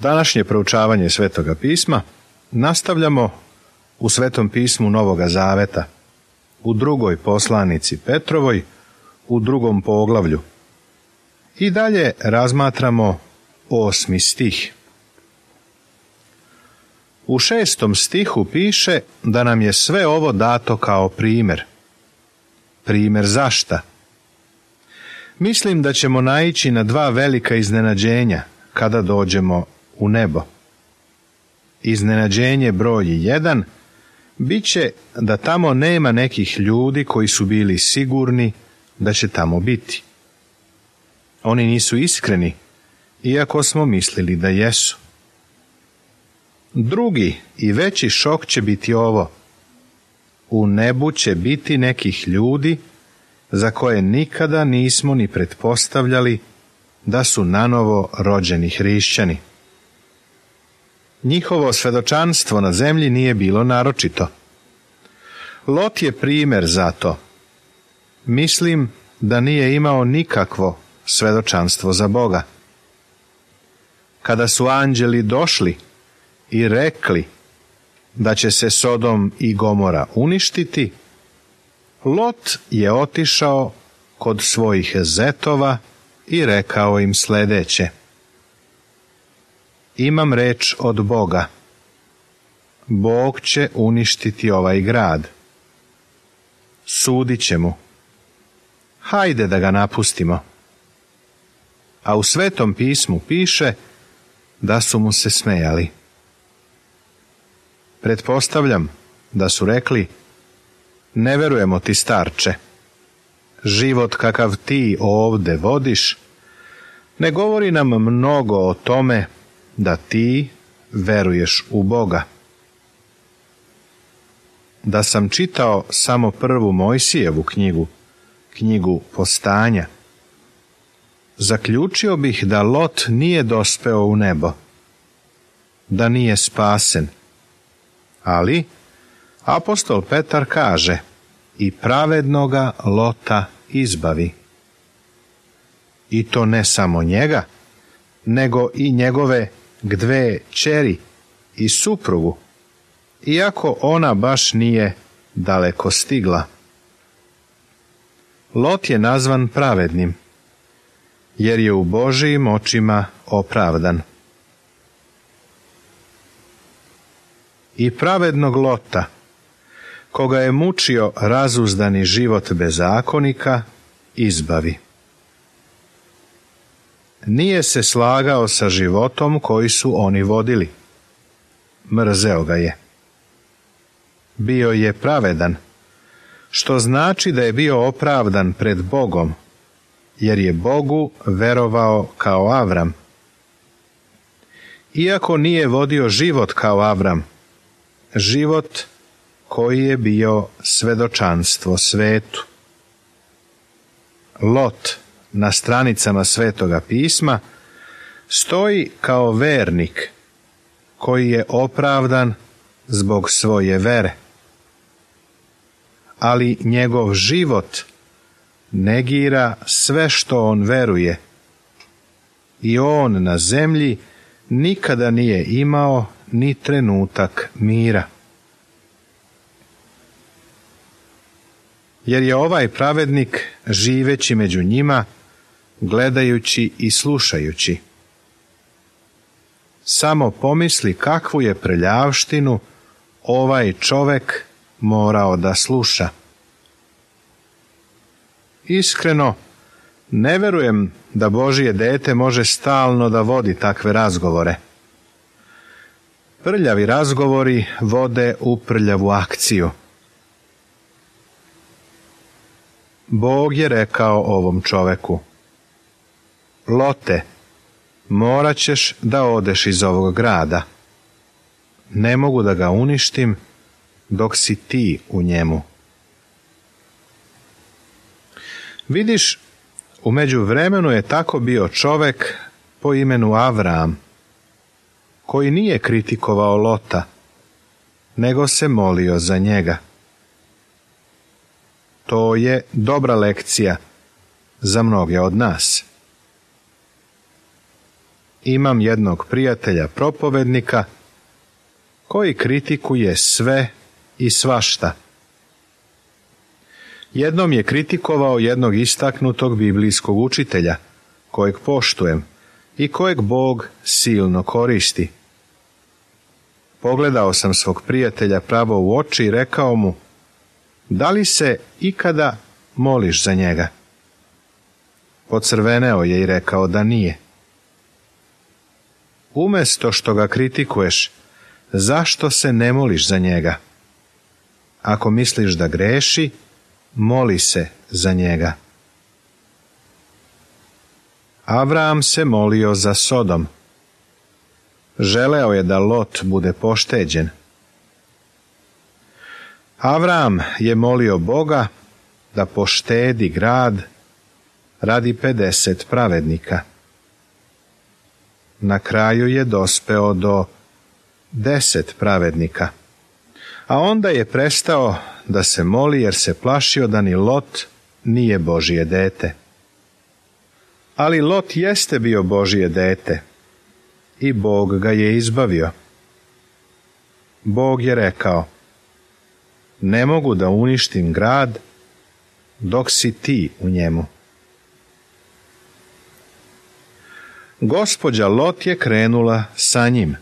Današnje proučavanje Svetoga pisma nastavljamo u Svetom pismu Novoga Zaveta, u drugoj poslanici Petrovoj, u 2. poglavlju. I dalje razmatramo 8. stih. U 6. stihu piše da nam je sve ovo dato kao primjer. Primjer zašta? Mislim da ćemo naići na 2 velika iznenađenja kada dođemo u nebo. Iznenađenje broj 1 bit će da tamo nema nekih ljudi koji su bili sigurni da će tamo biti. Oni nisu iskreni, iako smo mislili da jesu. Drugi i veći šok će biti ovo. U nebu će biti nekih ljudi za koje nikada nismo ni pretpostavljali da su nanovo rođeni hrišćani. Njihovo svedočanstvo na zemlji nije bilo naročito. Lot je primjer za to. Mislim da nije imao nikakvo svedočanstvo za Boga. Kada su anđeli došli i rekli da će se Sodom i Gomora uništiti, Lot je otišao kod svojih zetova i rekao im sljedeće: Imam reč od Boga. Bog će uništiti ovaj grad. Sudit će mu. Hajde da ga napustimo. A u Svetom pismu piše da su mu se smejali. Pretpostavljam da su rekli: Ne verujemo ti, starče. Život kakav ti ovde vodiš ne govori nam mnogo o tome da ti veruješ u Boga. Da sam čitao samo 1. Mojsijevu knjigu Postanja, zaključio bih da Lot nije dospeo u nebo, da nije spasen. Ali apostol Petar kaže: I pravednoga Lota izbavi. I to ne samo njega, nego i njegove 2 kćeri i suprugu, iako ona baš nije daleko stigla. Lot je nazvan pravednim, jer je u Božijim očima opravdan. I pravednog Lota, koga je mučio razuzdani život bezakonika, izbavi. Nije se slagao sa životom koji su oni vodili. Mrzeo ga je. Bio je pravedan, što znači da je bio opravdan pred Bogom, jer je Bogu verovao kao Avram. Iako nije vodio život kao Avram, život koji je bio svedočanstvo svetu. Lot na stranicama Svetoga pisma stoji kao vernik koji je opravdan zbog svoje vere. Ali njegov život negira sve što on veruje i on na zemlji nikada nije imao ni trenutak mira. Jer je ovaj pravednik, živeći među njima, gledajući i slušajući. Samo pomisli kakvu je prljavštinu ovaj čovek morao da sluša. Iskreno, ne verujem da Božje dete može stalno da vodi takve razgovore. Prljavi razgovori vode u prljavu akciju. Bog je rekao ovom čoveku: Lote, morat ćeš da odeš iz ovog grada. Ne mogu da ga uništim dok si ti u njemu. Vidiš, u međuvremenu je tako bio čovek po imenu Avram, koji nije kritikovao Lota, nego se molio za njega. To je dobra lekcija za mnoge od nas. imam jednog prijatelja propovednika koji kritikuje sve i svašta. Jednom je kritikovao jednog istaknutog biblijskog učitelja, kojeg poštujem i kojeg Bog silno koristi. Pogledao sam svog prijatelja pravo u oči i rekao mu: da li se ikada moliš za njega? Pocrveneo je i rekao da nije. Umjesto što ga kritikuješ, zašto se ne moliš za njega? Ako misliš da greši, moli se za njega. Avram se molio za Sodom. Želeo je da Lot bude pošteđen. Avram je molio Boga da poštedi grad radi 50 pravednika. Na kraju je dospeo do 10 pravednika, a onda je prestao da se moli jer se plašio da ni Lot nije Božje dete. Ali Lot jeste bio Božje dete i Bog ga je izbavio. Bog je rekao: ne mogu da uništim grad dok si ti u njemu. Gospođa Lot je krenula sa njim,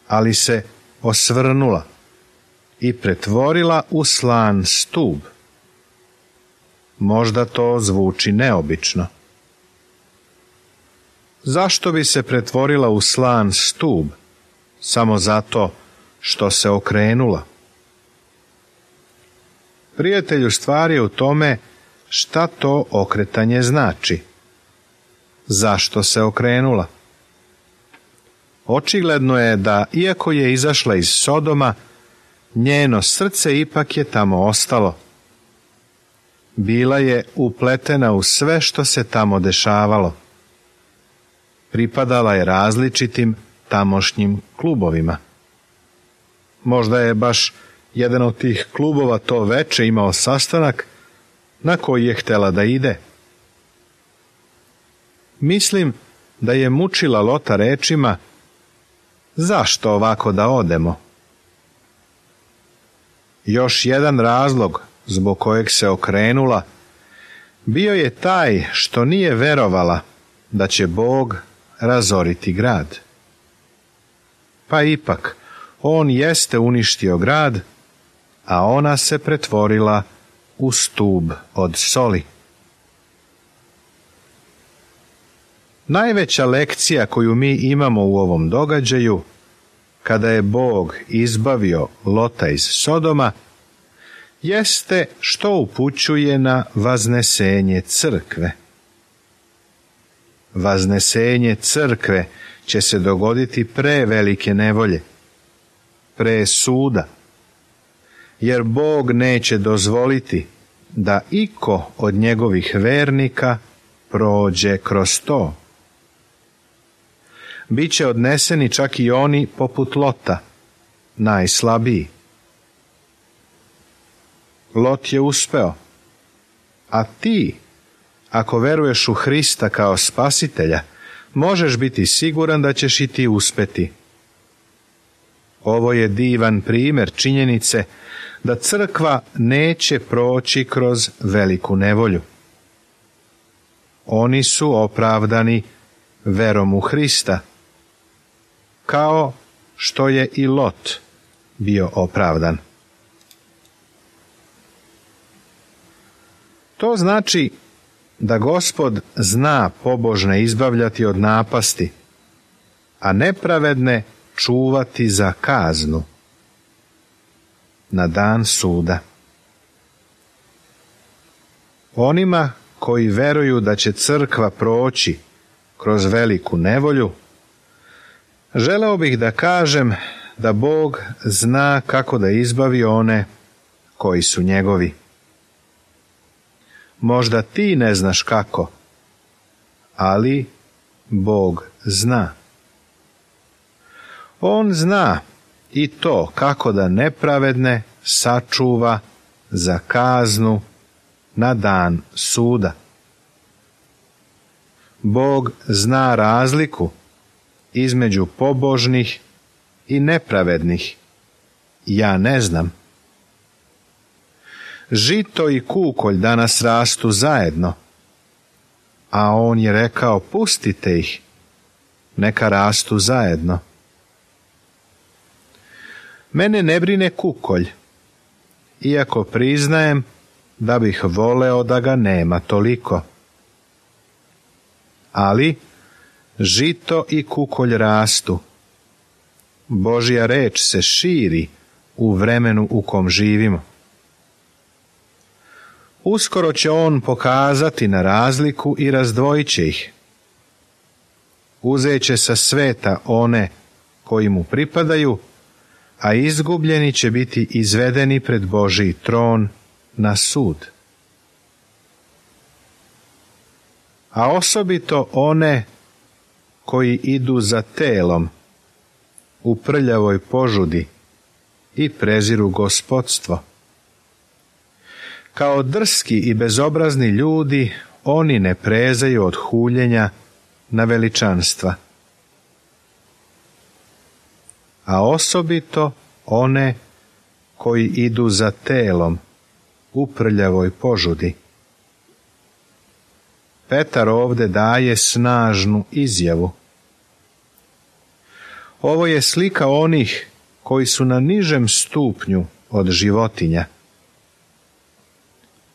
ali se osvrnula i pretvorila u slan stub. Možda to zvuči neobično. Zašto bi se pretvorila u slan stub? Samo zato što se okrenula. Prijatelju, stvar je u tome šta to okretanje znači. Zašto se okrenula? Očigledno je da, iako je izašla iz Sodoma, njeno srce ipak je tamo ostalo. Bila je upletena u sve što se tamo dešavalo. Pripadala je različitim tamošnjim klubovima. Možda je baš jedan od tih klubova to veče imao sastanak na koji je htjela da ide. Mislim da je mučila Lota rečima: zašto ovako da odemo? Još jedan razlog zbog kojeg se okrenula bio je taj što nije verovala da će Bog razoriti grad. Pa ipak, on jeste uništio grad, a ona se pretvorila u stub od soli. Najveća lekcija koju mi imamo u ovom događaju, kada je Bog izbavio Lota iz Sodoma, jeste što upućuje na vaznesenje crkve. Vaznesenje crkve će se dogoditi pre velike nevolje, pre suda, jer Bog neće dozvoliti da iko od njegovih vernika prođe kroz to. Biće odneseni čak i oni poput Lota, najslabiji. Lot je uspeo, a ti, ako veruješ u Hrista kao spasitelja, možeš biti siguran da ćeš i ti uspeti. Ovo je divan primjer činjenice da crkva neće proći kroz veliku nevolju. Oni su opravdani verom u Hrista, kao što je i Lot bio opravdan. To znači da Gospod zna pobožne izbavljati od napasti, a nepravedne čuvati za kaznu na dan suda. Onima koji veruju da će crkva proći kroz veliku nevolju, želeo bih da kažem da Bog zna kako da izbavi one koji su njegovi. Možda ti ne znaš kako, ali Bog zna. On zna i to kako da nepravedne sačuva za kaznu na dan suda. Bog zna razliku između pobožnih i nepravednih? Ja ne znam. Žito i kukolj danas rastu zajedno, a on je rekao, pustite ih, neka rastu zajedno. Mene ne brine kukolj, iako priznajem da bih voleo da ga nema toliko. Ali žito i kukolj rastu. Božja reč se širi u vremenu u kom živimo. Uskoro će on pokazati na razliku i razdvojit će ih. Uzet će sa sveta one koji mu pripadaju, a izgubljeni će biti izvedeni pred Božji tron na sud. A osobito one koji idu za telom u prljavoj požudi i preziru gospodstvo. Kao drski i bezobrazni ljudi, oni ne prezaju od huljenja na veličanstva. A osobito one koji idu za telom u prljavoj požudi. Petar ovdje daje snažnu izjavu. Ovo je slika onih koji su na nižem stupnju od životinja.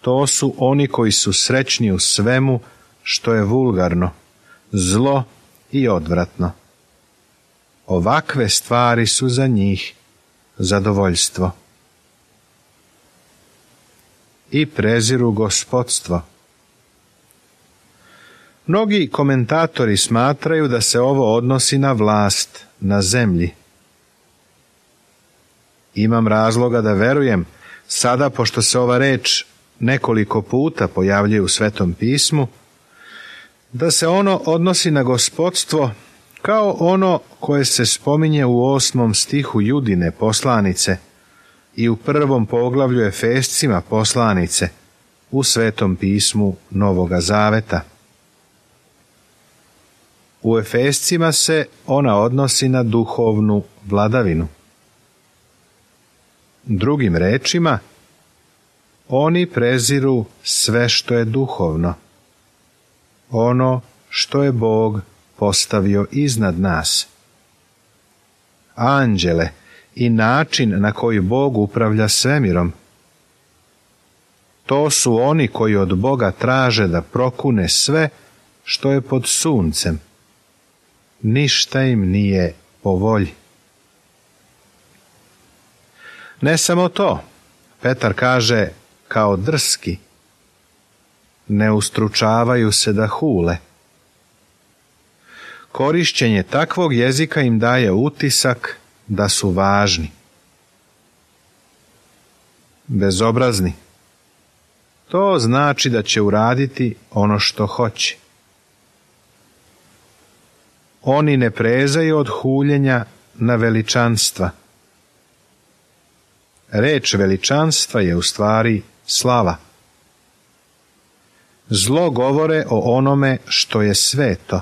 To su oni koji su srećni u svemu što je vulgarno, zlo i odvratno. Ovakve stvari su za njih zadovoljstvo. I preziru gospodstvo. Mnogi komentatori smatraju da se ovo odnosi na vlast na zemlji. Imam razloga da verujem, sada pošto se ova reč nekoliko puta pojavljuje u Svetom pismu, da se ono odnosi na gospodstvo kao ono koje se spominje u 8. stihu Judine poslanice i u 1. poglavlju Efescima poslanice u Svetom pismu Novoga Zaveta. U Efescima se ona odnosi na duhovnu vladavinu. Drugim rečima, oni preziru sve što je duhovno, ono što je Bog postavio iznad nas. Anđele i način na koji Bog upravlja svemirom. To su oni koji od Boga traže da prokune sve što je pod suncem. Ništa im nije po volji. Ne samo to, Petar kaže kao drski, ne ustručavaju se da hule. Korišćenje takvog jezika im daje utisak da su važni. Bezobrazni. To znači da će uraditi ono što hoće. Oni ne prezaju od huljenja na veličanstva. Reč veličanstva je u stvari slava. Zlo govore o onome što je sveto.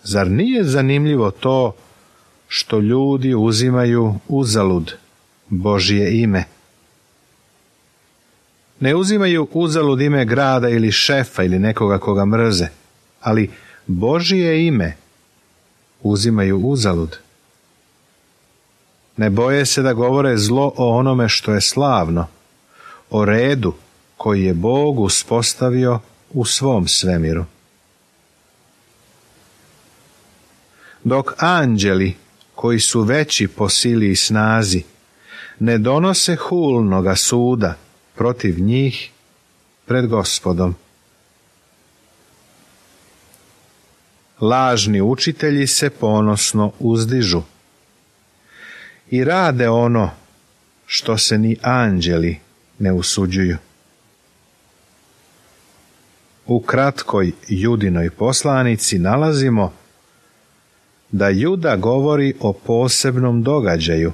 Zar nije zanimljivo to što ljudi uzimaju uzalud Božje ime? Ne uzimaju uzalud ime grada ili šefa ili nekoga koga mrze, ali Božje ime uzimaju uzalud. Ne boje se da govore zlo o onome što je slavno, o redu koji je Bog uspostavio u svom svemiru. Dok anđeli, koji su veći po sili i snazi, ne donose hulnoga suda protiv njih pred Gospodom. Lažni učitelji se ponosno uzdižu i rade ono što se ni anđeli ne usuđuju. U kratkoj Judinoj poslanici nalazimo da Juda govori o posebnom događaju,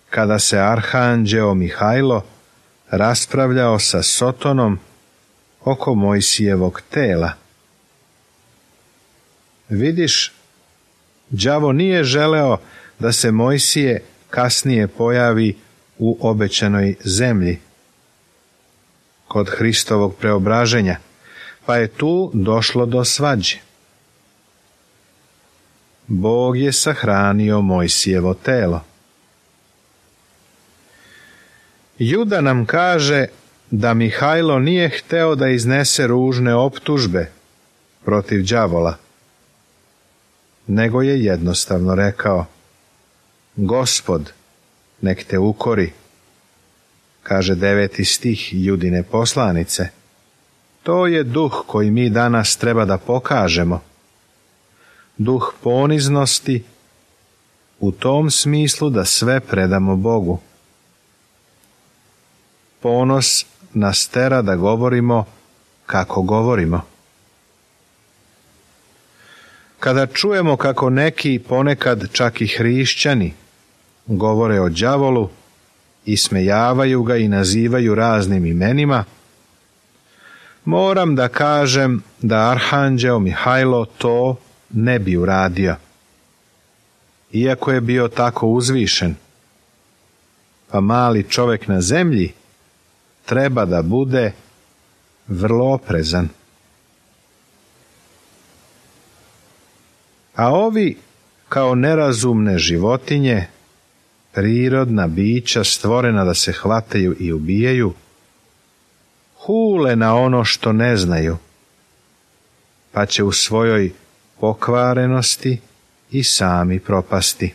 kada se arhanđeo Mihajlo raspravljao sa Sotonom oko Mojsijevog tela. Vidiš, đavo nije želeo da se Mojsije kasnije pojavi u obećanoj zemlji kod Hristovog preobraženja, pa je tu došlo do svađe. Bog je sahranio Mojsijevo telo. Juda nam kaže da Mihajlo nije hteo da iznese ružne optužbe protiv đavola, nego je jednostavno rekao: Gospod, nek te ukori, kaže 9. stih Judine poslanice. To je duh koji mi danas treba da pokažemo. Duh poniznosti u tom smislu da sve predamo Bogu. Ponos nas tera da govorimo kako govorimo. Kada čujemo kako neki, ponekad čak i hrišćani, govore o đavolu, ismejavaju ga i nazivaju raznim imenima, moram da kažem da arhanđeo Mihajlo to ne bi uradio, iako je bio tako uzvišen. Pa mali čovjek na zemlji treba da bude vrlo oprezan. A ovi, kao nerazumne životinje, prirodna bića stvorena da se hvataju i ubijaju, hule na ono što ne znaju, pa će u svojoj pokvarenosti i sami propasti.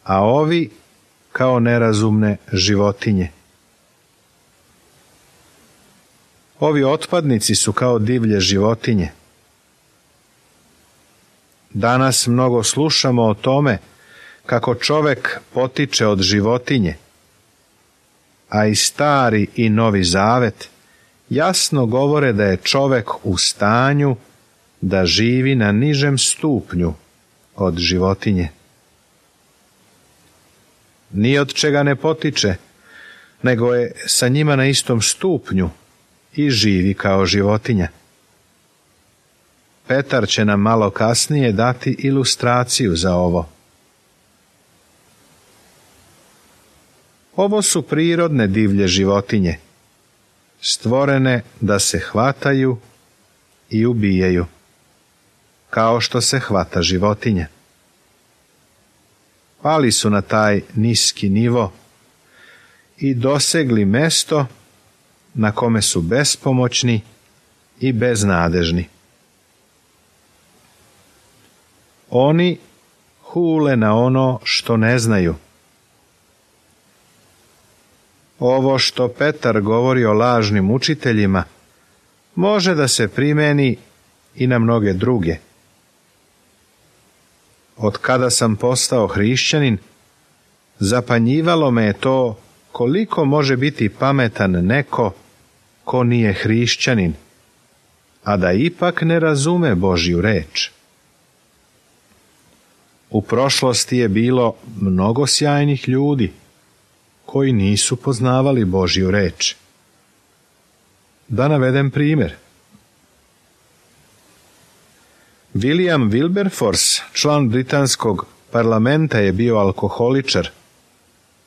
A ovi, kao nerazumne životinje. Ovi otpadnici su kao divlje životinje. Danas mnogo slušamo o tome kako čovjek potiče od životinje, a i Stari i Novi Zavet jasno govore da je čovjek u stanju da živi na nižem stupnju od životinje. Ni od čega ne potiče, nego je sa njima na istom stupnju i živi kao životinja. Petar će nam malo kasnije dati ilustraciju za ovo. Ovo su prirodne divlje životinje, stvorene da se hvataju i ubijaju, kao što se hvata životinja. Pali su na taj niski nivo i dosegli mesto na kome su bespomoćni i beznadežni. Oni hule na ono što ne znaju. Ovo što Petar govori o lažnim učiteljima može da se primeni i na mnoge druge. Od kada sam postao hrišćanin, zapanjivalo me je to koliko može biti pametan neko ko nije hrišćanin, a da ipak ne razume Božju reč. U prošlosti je bilo mnogo sjajnih ljudi koji nisu poznavali Božju reč. Da navedem primjer. William Wilberforce, član britanskog parlamenta, je bio alkoholičar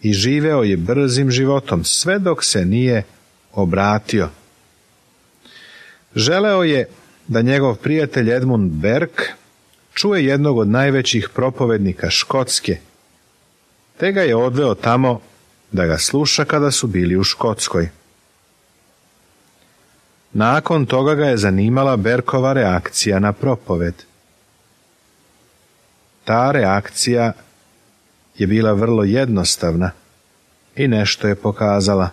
i živeo je brzim životom sve dok se nije obratio. Želeo je da njegov prijatelj Edmund Burke čuje jednog od najvećih propovednika Škotske, te ga je odveo tamo da ga sluša kada su bili u Škotskoj. Nakon toga ga je zanimala Berkova reakcija na propoved. Ta reakcija je bila vrlo jednostavna i nešto je pokazala.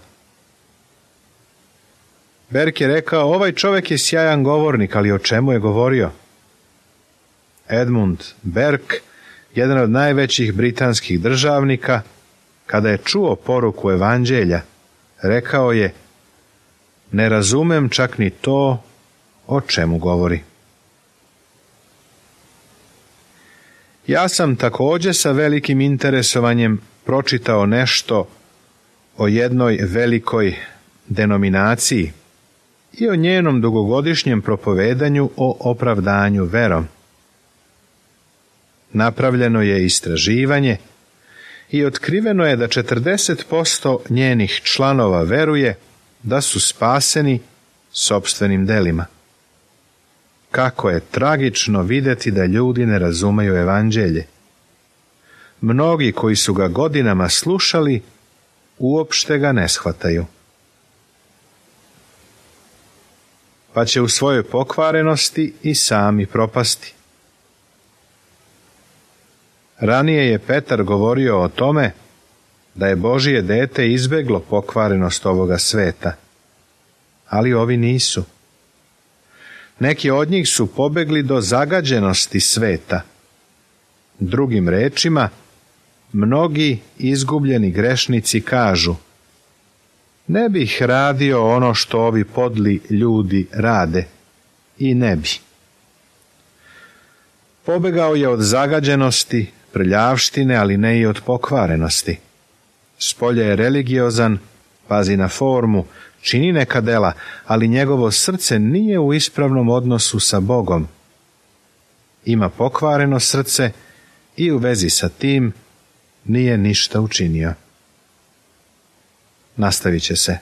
Berk je rekao: ovaj čovjek je sjajan govornik, ali o čemu je govorio? Edmund Burke, jedan od najvećih britanskih državnika, kada je čuo poruku evanđelja, rekao je: ne razumem čak ni to o čemu govori. Ja sam također sa velikim interesovanjem pročitao nešto o jednoj velikoj denominaciji i o njenom dugogodišnjem propovedanju o opravdanju verom. Napravljeno je istraživanje i otkriveno je da 40% njenih članova veruje da su spaseni sopstvenim delima. Kako je tragično vidjeti da ljudi ne razumeju evanđelje. Mnogi koji su ga godinama slušali, uopšte ga ne shvataju. Pa će u svojoj pokvarenosti i sami propasti. Ranije je Petar govorio o tome da je Božije dete izbeglo pokvarenost ovoga sveta, ali ovi nisu. Neki od njih su pobegli do zagađenosti sveta. Drugim rečima, mnogi izgubljeni grešnici kažu: ne bih radio ono što ovi podli ljudi rade, i ne bi. Pobegao je od zagađenosti, prljavštine, ali ne i od pokvarenosti. Spolja je religiozan, pazi na formu, čini neka dela, ali njegovo srce nije u ispravnom odnosu sa Bogom. Ima pokvareno srce i u vezi sa tim nije ništa učinio. Nastavit će se.